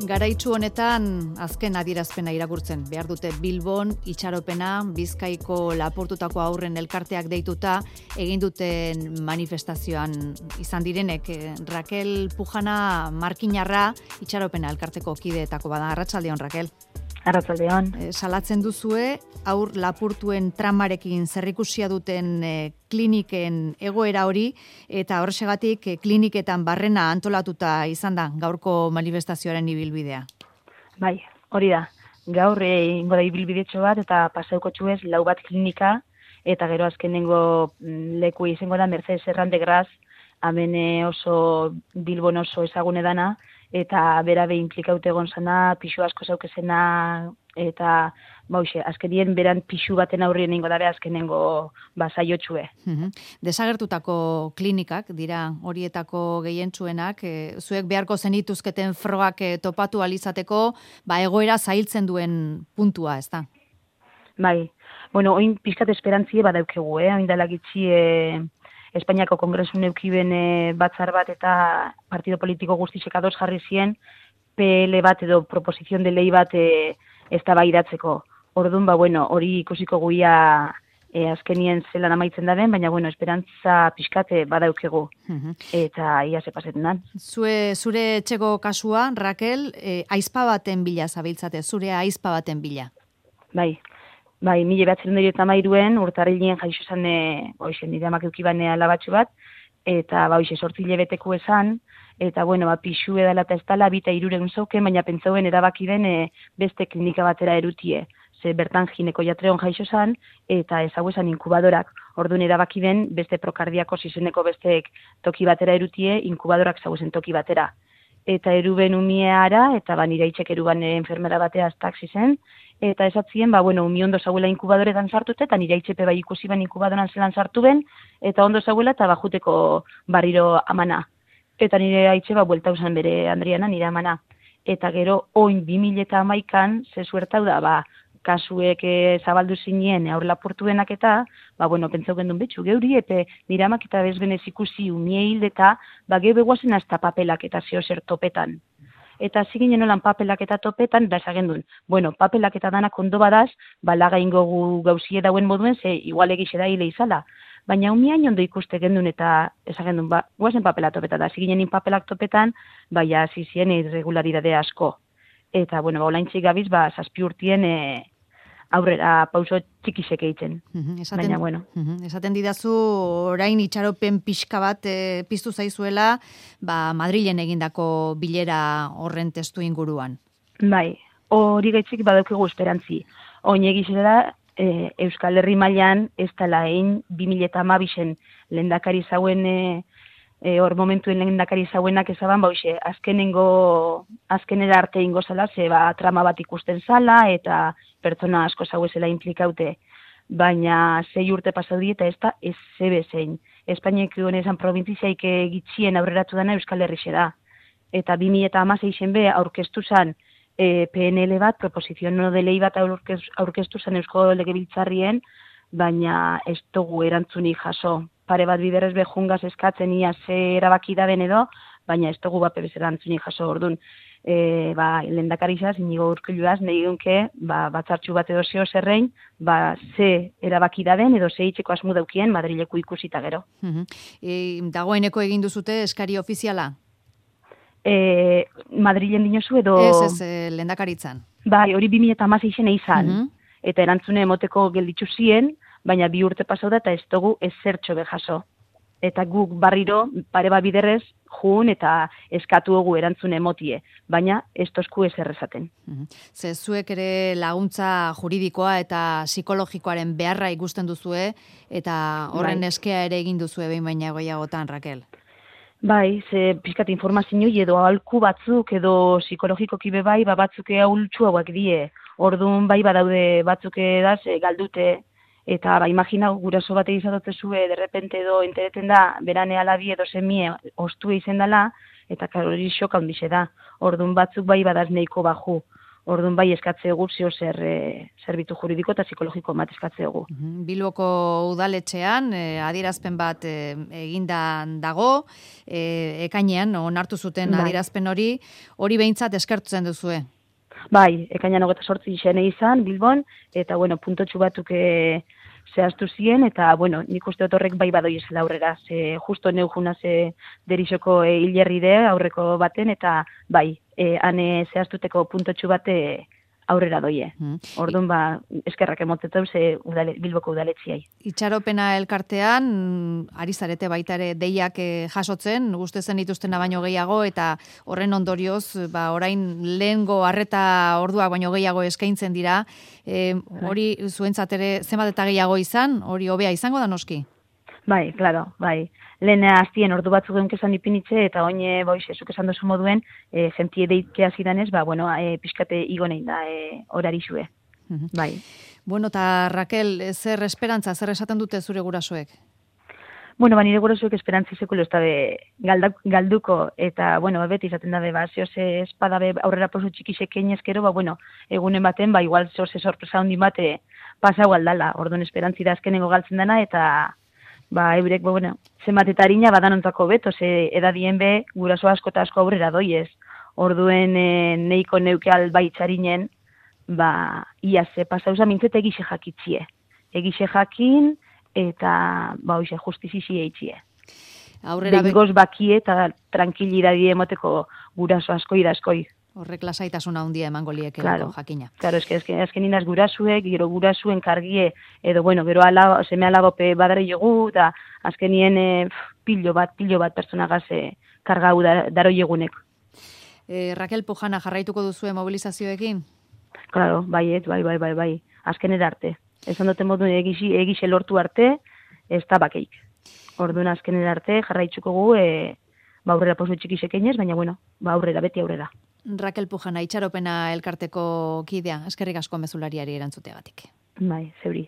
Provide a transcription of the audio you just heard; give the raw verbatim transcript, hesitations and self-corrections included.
Garaitsu honetan azken adierazpena irakurtzen. Behar dute Bilbon itxaropena, Bizkaiko lapurtutako aurren elkarteak deituta egin duten manifestazioan izan direnek. Raquel Pujana Markinarra itxaropena elkarteko kideetako bada. Arratsaldeon, Raquel. Arratsaldeon. E, salatzen duzue aur lapurtuen tramarekin zerrikusia duten e, kliniken egoera hori, eta horrexegatik e, kliniketan barrena antolatuta izan da gaurko manifestazioaren ibilbidea. Bai, hori da. Gaur ingo da ibilbidetxo bat eta pasauko txuez lau bat klinika, eta gero azkenengo leku izango da Mercedes Errande Graz, hemen oso Bilbon oso ezagune dana, eta berabe implikaute egon zana, pixu asko zaukezena, eta bauxe, azkenien beran pixu baten aurrien ingo dabe azkenengo basaiotxue. Uhum. Desagertutako klinikak dira horietako gehientsuenak, e, zuek beharko zenituzketen frogak e, topatu alizateko, ba egoera zailtzen duen puntua, ez da? Bai, bueno, oin pixkat esperantzie badaukegu, eh? Oin dela gitxi, e, Espainiako Kongresun eukiben e, batzar bat eta partido politiko guztisek ados jarri zien P L bat edo proposizion de lei bat e, eztabaidatzeko. Orduan, ba, bueno, hori ikusiko guia e, azkenien zelan amaitzen da den, baina, bueno, esperantza pixkate badaukegu. Uh-huh. Eta ia ze pasetan da. Zue, zure etxeko kasua, Raquel, e, aizpa baten bila zabiltzate, zure aizpa baten bila. Bai. Bai, mila batzen dira eta mairuen, urtarrilien jaixo esan, e, boixen, nire amak eukibane alabatxo bat, eta boixe, sortzile beteko esan, eta, bueno, ba, pixu edala eta ez dala, bita iruregun zauken, baina pentsauen erabaki den e, beste klinika batera erutie. Ze bertan gineko jatreon jaixo esan, eta ezagu esan inkubadorak. Orduan erabaki den beste prokardiako zizeneko besteek toki batera erutie, inkubadorak zagu zen toki batera. Eta eruben umieara, eta ba, nire itxek eruban enfermera batea taxi zen, eta esatzien, ba, bueno, umi ondo zauela inkubadoretan sartute, eta nire itxepe bai ikusi ben inkubadoran zelan sartu ben, eta ondo zauela, eta bajuteko barriro amana. Eta nire aitxe, ba, buelta usan bere Andriana, nire amana. Eta gero, oin bi mila eta hamaikan, ze suertau da, ba, kasuek e, zabaldu zinien aur lapurtuenak eta, ba, bueno, pentsau gendun betxu, geuri, epe nire amak eta bezbenez ikusi umie hildeta, ba, geube guazen hasta papelak eta zeo zer topetan. Eta ziginen olan papelak eta topetan, da esagendun, bueno, papelak eta danak ondo badaz, ba, laga ingo gu gauzie dauen moduen, ze igual egixe da hile izala. Baina umiain ondo ikuste gendun eta esagendun, ba, guazen papela topetan, da ziginen papelak topetan, ba, ja, zizien irregularidade asko. Eta, bueno, ba, olaintzik gabiz, ba, zazpi urtien, e, aurrera pauso txikisek egiten. Uh-huh, esaten, baina, bueno. Uh-huh, esaten didazu, orain itxaropen pixka bat e, piztu zaizuela, ba, Madrilen egindako bilera horren testu inguruan. Bai, hori gaitzik badaukegu esperantzi. Oin egizela, e, Euskal Herri mailan ez dela egin bi mila eta hamabisen lehendakari zauen, e, e, hor momentuen lehendakari zauenak ezaban, ba, hoxe, azkenengo, azkenera arte ingo zala, ze ba, trama bat ikusten zala, eta pertsona asko zauezela implikaute, baina zei urte pasau di eta ez da ez zebe zein. Espainiak honezan probintziaik gitxien aurreratu dana Euskal Herrixe da. Eta bi mila eta hamaseizen be aurkeztu zan e, P N L bat, proposizion no de lei bat aurkeztu zan Eusko Legebiltzarrien, baina ez dugu erantzuni jaso. Pare bat biderrez behungaz eskatzen ia ze erabaki da den edo, baina ez dugu bat pebez erantzuni jaso ordun. E, ba, lehendakarizaz, inigo urkiluaz, nahi dunke, ba, batzartxu bat edo zeo zerrein, ba, ze erabaki da den, edo ze itxeko asmu daukien, Madrileko ikusita gero. Uh-huh. E, dagoeneko egin duzute eskari ofiziala? E, Madrilen dinozu edo... Ez, ez, e, lehendakaritzan. Bai, hori bi mila eta hamaseizen izan, uh-huh. Eta erantzune emoteko gelditzu zien, baina bi urte pasau da eta ez dugu ez zertxo behaso. Eta guk barriro, pare bat biderrez, jun eta eskatu dugu erantzune emotie, baina ez tozku ez errezaten. Uh-huh. Ze zuek ere laguntza juridikoa eta psikologikoaren beharra ikusten duzue, eta horren bai. Eskea ere egin duzue behin baina goiagotan, Raquel. Bai, ze pixkat informazio edo ahalku batzuk edo psikologikoki be bai, ba batzuk ahultxu hauak die. Orduan bai badaude batzuk edaz galdute, eta ba, imagina guraso bat egizatote zue, derrepente edo entereten da, berane alabi edo semie ostue izen dela, eta hori xok handixe da. Orduan batzuk bai badaz neiko baju. Orduan bai eskatze egu zeo zer e, zerbitzu juridiko eta psikologiko bat eskatze egu. Bilboko udaletxean e, adierazpen bat e, eginda dago, e, ekainean onartu zuten bai. adierazpen hori, hori behintzat eskertzen duzue. Bai, ekainan hogeita sortzi xene izan, Bilbon, eta bueno, puntotxu batuk e, zehaztu ziren, eta bueno, nik uste dut horrek bai badoi esela aurrera, ze justo neu juna ze derixoko e, hilerride aurreko baten, eta bai, e, hane zehaztuteko puntotxu bate aurrera doie. Mm. Orduan ba, eskerrak emotzetu ze udale, Bilboko udaletziai. Itxaropena elkartean, ari zarete baita ere deiak jasotzen, guzti zen dituztena baino gehiago, eta horren ondorioz, ba, orain lehengo arreta orduak baino gehiago eskaintzen dira, e, hori zuentzat ere zenbat eta gehiago izan, hori hobea izango da noski? Bai, claro, bai. Lehen aztien ordu batzuk egun kezan ipinitze, eta oine, boiz, ezuk esan dozu moduen, e, jentie deitkea zidanez, ba, bueno, e, pixkate igonein da, e, horari zue. Uh-huh. Bai. Bueno, eta Raquel, zer esperantza, zer esaten dute zure gurasoek? Bueno, ba, nire gurasoek esperantzi sekulo ez da galduko, eta, bueno, beti izaten da, ba, zeoze espada be aurrera pauso txikisek einezkero, ba, bueno, egunen baten, ba, igual zeoze sorpresa hondi bate pasau aldala, orduan esperantzi da azkenengo galtzen dana, eta ba, eurek, ba, bueno, zenbat eta harina badanontako beto, ze edadien be, guraso asko eta asko aurrera doiez. Orduen e, neiko neuke albaitxarinen, ba, ia ze pasauza mintzete egixe jakitzie. Egixe jakin, eta, ba, oixe, justizizi eitzie. Aurrera Behingoz bakie eta tranquilidadie emoteko guraso askoi da askoi. Horrek lasaitasuna handia emango liekelako, claro, jakina. Claro, eske eske azken inaz gurasuek, gero gurasuen kargie, edo, bueno, gero ala, seme alagope badare jogu, eta azkenien e, pilo bat, pilo bat personagaz e, kargau da, daro jegunek. E, Raquel Pujana, jarraituko duzue mobilizazioekin? Claro, bai, bai, bai, bai, bai, azkenera arte. Esan duten modu egixe, egixe lortu arte, ez da bakeik. Orduan azkenera arte, jarraitzuko gu, e, ba aurrera posu txikisek einez, baina, bueno, ba aurrera, beti aurrera. Raquel Pujana, itxaropena elkarteko kidea, eskerrik asko mezulariari erantzuteagatik. Bai, zeuri.